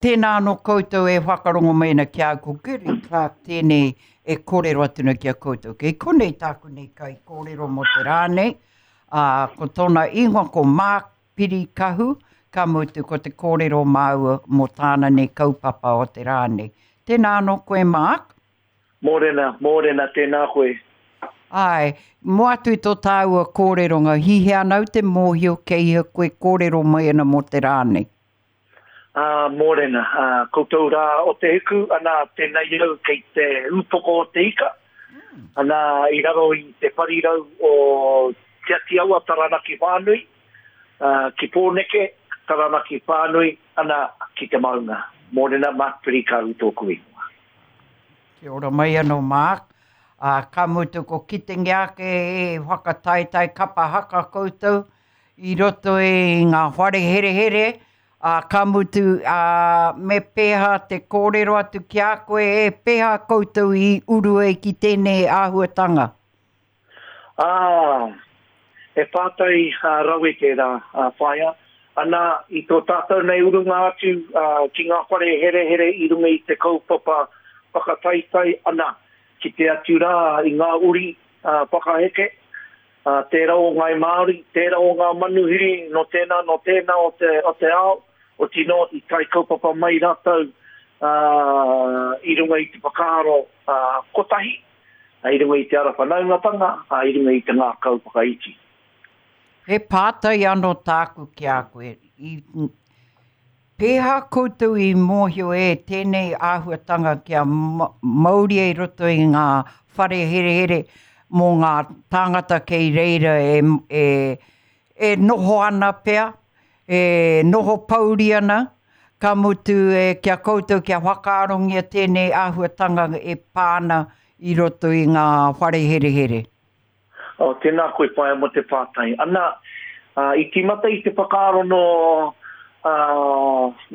Tēnā anō koutou e whakarongo mai ana ki a au, ko Gerry Clark tēnei e kōrero atu nei ki a koutou. Kei konei tāku nei kaikōrero mō te rā nei, ā, ko tōna ingoa ko Mark Pirikahu, ka mutu ko te kōrero māua mō tāna nei kaupapa o te rā nei. Tēnā anō koe Mark. Mōrena, mōrena, tēnā koe. Āe, mō atu i tō tāua kōreronga, hihia ana au te mōhio kei hea koe kōrero mai ana mō te rā nei? Ā, mōrena, ā, koutou rā o te hiku, anā, tēnei au kei te ūpoko o te ika, anā, i raro i te parirau o Te Ati Awa, Taranaki Whānui, ā, ki Pōneke, Taranaki Whānui, anā, ki te maunga. Mōrena, Mark Pirikau tōku ingoa. Kia ora mai anō, Mark. Ā, ka mutu ko kitengia ake e whakataetae kapa haka koutou i roto i ngā whare herehere, ā, ka mutu, ā, me pēhā te kōrero atu ki a koe, e pēhā koutou i uru ai ki tēnei āhuatanga? Ā, he pātai rawe tērā, Whaea. Ana, i tō tātou nei urunga atu ki ngā whare herehere i runga i te kaupapa whakataetae, ana, kite atu rā i ngā uri whakaheke, Ā, tērā o Ngāi Māori, tērā o ngā manuhiri nō tēnā, nō tēnā o te, o te ao, otinō i tae kaupapa mai rātou, ā, i runga i te whakaaro, ā, kotahi, ā, i runga i te ara whanaungatanga, ā, i runga i te ngākau whakaiti. He pātai anō tāku ki a koe. I Pēhā koutou i mōhio e tēnei āhuatanga kia mauria i roto i ngā whare herehere mō ngā tāngata kei reira e, e, e noho ana pea, e noho pouri ana, ka mutu e, ki a koutou kia whakaarongia tēnei āhuatanga e pā ana i roto i ngā whare herehere? Oh, tēnā koe whaea mō te pātai. Ana, i tīmata i te whakaaro nō,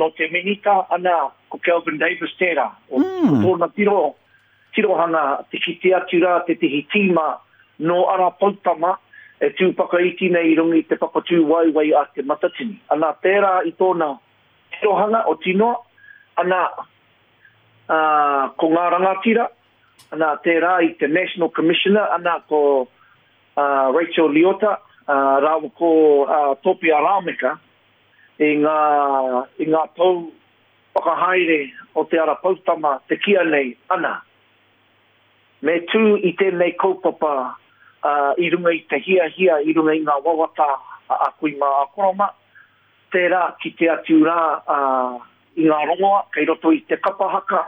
nō te Minita, ana, ko Kelvin Davis tērā. O, mm. Ko tōna tiro, tirohanga te kite atu rā tētehi tīma nō Ara Poutama e tū whakaiti nei i runga i te papatūwaewae a Te Matatini. Ana, tērā i tōna tirohanga o Tinoa, ana, ā, ko ngā rangatira, ana, tērā i te National Commissioner, ana, ko Rachel Leota, rāua ko Topia Rameka, i ngā, i ngā pou whakahaere o te Ara Poutama te kīa nei, ana, me tū i tēnei kaupapa i runga i te hiahia, i runga i ngā wawata a kui mā, a koro mā, Tērā kite atu rā i ngā rongoa kei roto i te kapa haka,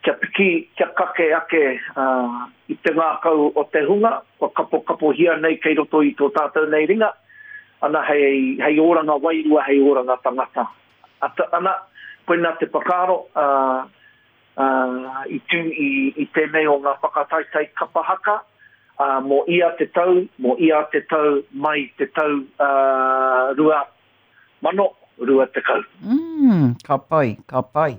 kia piki, kia kake ake i te ngākau o te hunga kua kapokapohia nei kei roto i tō tātou nei ringa, ana hei, hei oranga wairua, hei oranga tangata. Ana, koinā te whakaaro, i tū i tēnei o ngā whakataetae kapa haka, ā, mō ia te tau, mō ia te tau mai te tau 2020. Mm, ka pai, ka pai.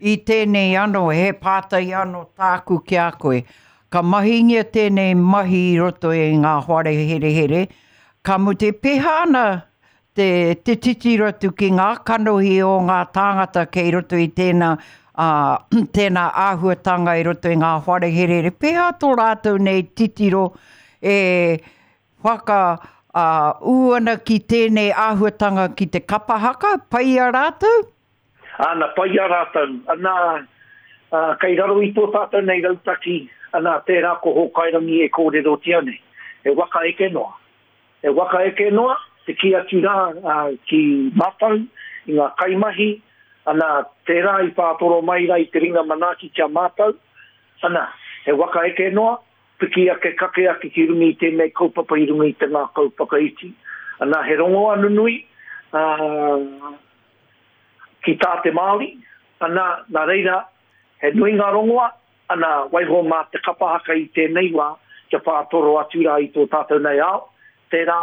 I tēnei anō, he pātai anō tāku ki a koe. Ka mahingia tēnei mahi i roto i ngā whare herehere, ka mutu e pēhea ana te, te titiro atu ki ngā kanohi o ngā tāngata kei roto i tēnā, ā, tēnā āhuatanga i roto i ngā whare herehere. Pēhea tō rātou nei titiro e whaka, ā, ū ana ki tēnei āhuatanga ki te kapa haka, pai i a rātou? Ana, pai i a rātou. Ana, ā, kei raro i tō tātou nei rautaki, ana, tērā ko Hōkairangi e kōrerotia nei. He waka eke noa. He waka eke noa, te kī atu rā ki mātou, i ngā kaimahi, ana, tērā i whātoro mai rā i te ringa manaaki ki a mātou, ana, he waka eke noa, piki ake, kake ake ki runga i tēnei kaupapa i runga i te ngākau whakaiti. Ana, he rongoa nunui, ā, ki tā te Māori, ana, nā reira, he nui ngā rongoa, Ana, waiho mā te kapa haka i tēnei wā kia whātoro atu rā i tō tātou nei ao, tērā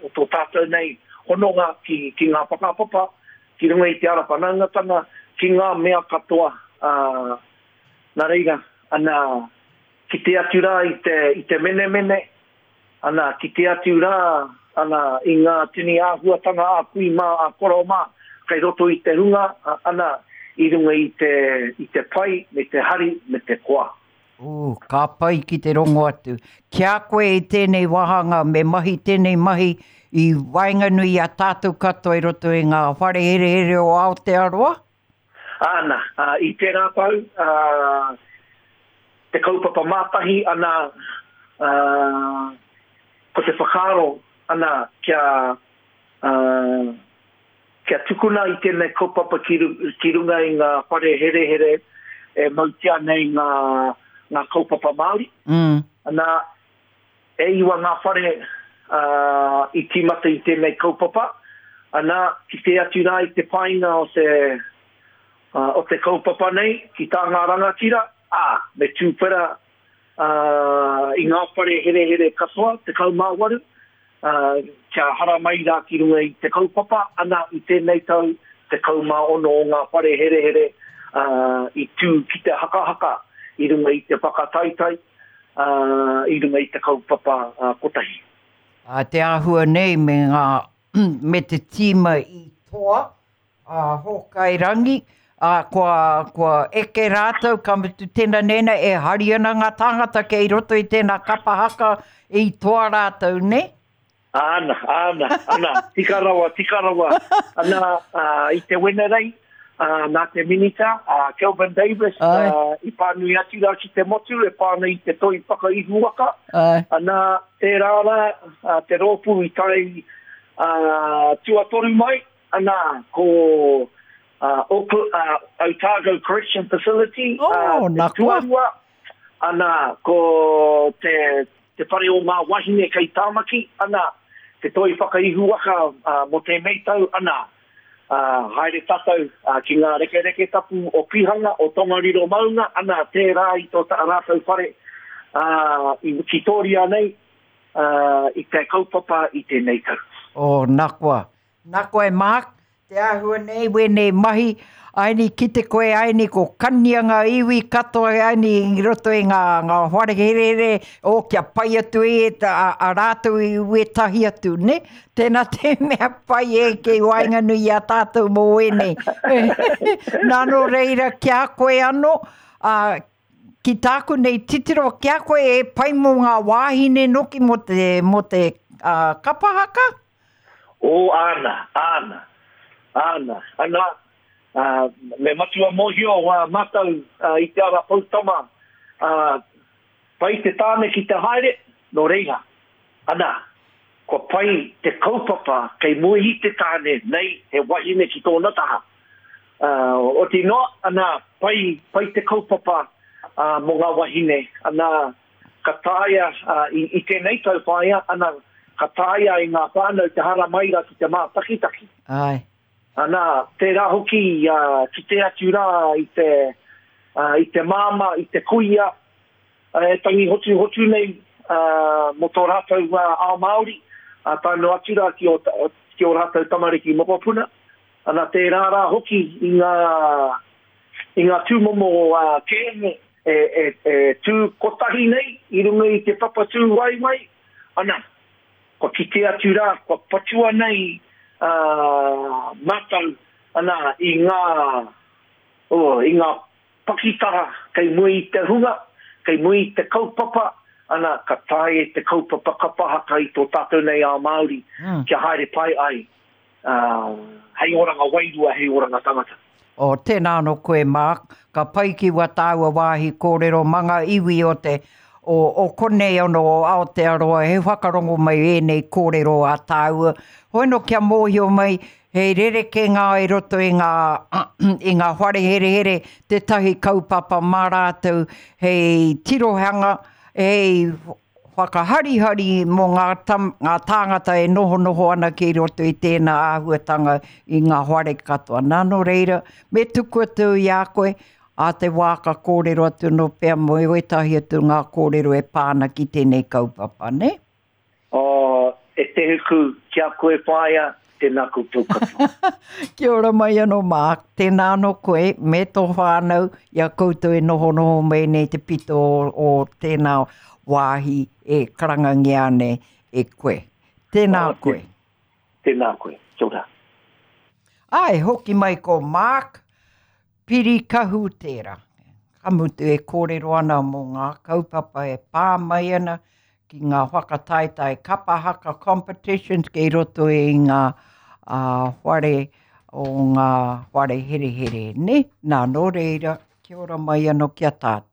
o tō tātou nei hononga ki, ki ngā whakapapa, ki runga i te ara whanaungatanga, ki ngā mea katoa, ā, nā reira, ana, kite atu rā i te, i te menemene, Ana, kite atu rā, ana, i ngā tini āhuatanga a kui mā, a koro mā. kei roto i te hunga, ana, i runga i te, i te pai me te hari me te koa. Ooh, ka pai ki te rongo atu. Ki a koe i tēnei wāhanga me mahi tēnei mahi i waenganui i a tātou katoa i roto i ngā whare herehere o Aotearoa? Āna, i tērā tau, te kaupapa mātahi, ana, ko te whakaaro, ana, kia, Kia tukuna i tēnei kaupapa ki ki runga i ngā whare herehere e mautia nei ngā ngā kaupapa Māori. Mm. Ana, e iwa ngā whare uh, i tīmata i tēnei kaupapa. Ana, kite atu rā i te painga o te, uh, o te kaupapa nei, ki tā ngā rangatira, ā, me tūwhera uh, i ngā whare herehere katoa, 18, ā, kia haramai rā ki runga i te kaupapa, ana, i tēnei tau, 16 o ngā whare herehere, ā, i tū ki te hakahaka i runga i te whakataetae, ā, i runga i te kaupapa kotahi. Ā, te āhua nei me ngā, me te tīma i toa, a Hōkai Rangi, ā, kua, kua eke rātou, ka mutu tēnā nēnā, e hari ana ngā tāngata kei roto i tēnā kapa haka i toa rātou, nē? Āna, āna, ana, tika rawa, tika rawa. Ana, ā, i te Wenerei, ā, nā te Minita, ā, Kelvin Davis, ā, i pānui atu rā ki te motu e pā ana i te toi whakaihuwaka. Āe. Ana, tērā rā, ā, te rōpū i tae, ā, tuatoru mai, Ana, ko Otago Correction Facility oh, te tuarua. Ana, ko te, te whare o ngā wahine kei Tāmaki. Ana, te toi whakaihuwaka mō tēnei tau. Ana, haere tātou ki ngā rekereke tapu o Pihanga, o Tongariro maunga. Ana, tērā i tō rātou whare i Wikitoria nei, i te kaupapa i tēnei tau. Oh, na koa. Na koe Mark, te āhua nei wēnei mahi, aini kite koe aini ko kania ngā iwi katoa aini i roto i ngā, ngā whare herehere, o kia pai atu e a, a rātou i wētahi atu, ne? Tēnā te mea pai e kei waenganui i a tātou mō wēnei. Nā nō reira ki a koe anō, ā, ki tāku nei titiro ki a koe e pai mō ngā wāhine noki mō te, mō te uh, kapa haka? Oh, āna, āna, āna, ana, ā, me matua mōhio ā mātou i te ara poutama, ā, pai te tāne ki te haere, nō reira, ana, kua pai te kaupapa kei mua i te tāne nei he wahine ki tōna taha. Ā, oti noa, ana, pai, pai te kaupapa, ā, mō ngā wahine, ana, Ka taea, i tēnei tau whāia, ana, ka taea e ngā whānau te haramai rā ki te mātakitaki. Āe. Ana, tērā hoki kite atu rā i te, i te māmā, i te kuia, e tangi hotuhotu nei mō tō rātou ao Māori, tae noa atu rā ki ō, ki ō rātou tamariki mokopuna. Ana, tērā rā hoki i ngā, i ngā tūmomo kēmu e tū kotahi nei i runga i te papa tūwaewae, ana, kua kite atu rā, kua patua nei mātou, ana, i ngā, oh, i ngā pakitara kei mua i te hunga, kei mua i te kaupapa, ana, ka taea te kaupapa kapa haka i tō tātou nei ao Māori kia haere pai ai. ā, hei oranga wairua, hei oranga tangata. Oh, tēnā anō koe Mark, ka pai ki wā tāua wāhi kōrero mā ngā iwi o te, o, o konei anō o Aotearoa, he whakarongo mai ēnei kōrero a tāua. Hoi anō kia mōhio mai, he rerekē ngā i roto i ngā, i ngā whare herehere, tētahi kaupapa mā rātou hei tirohanga, hei whakaharihari mō ngā tam, ngā tāngata e nohonoho ana ki roto i tēnā āhuatanga i ngā whare katoa. Nā, nō reira, me tuku atu i a koe, ā te wā ka kōrero atu nō pea mō ētahi atu ngā kōrero e pā ana ki tēnei kaupapa, nē? Oh, e te huku, ki a koe whaea, Tēnā koutou katoa. Kia ora mai anō Mark, tēnā anō koe me tō whānau i a koutou e nohonoho mai nei te pito o, o tēnā wāhi e karangangia nei e koe. Tēnā oh, koe. Tēnā koe. Kia ora. Āe, hoki mai ko Mark Pirikahu tērā. Ka mutu e kōrero ana mō ngā kaupapa e pā mai ana ki ngā whakataetae kapa haka competitions kei roto i ngā whare o ngā whare herehere, nē? Nā, nō reira, kia ora mai anō ki a tātou.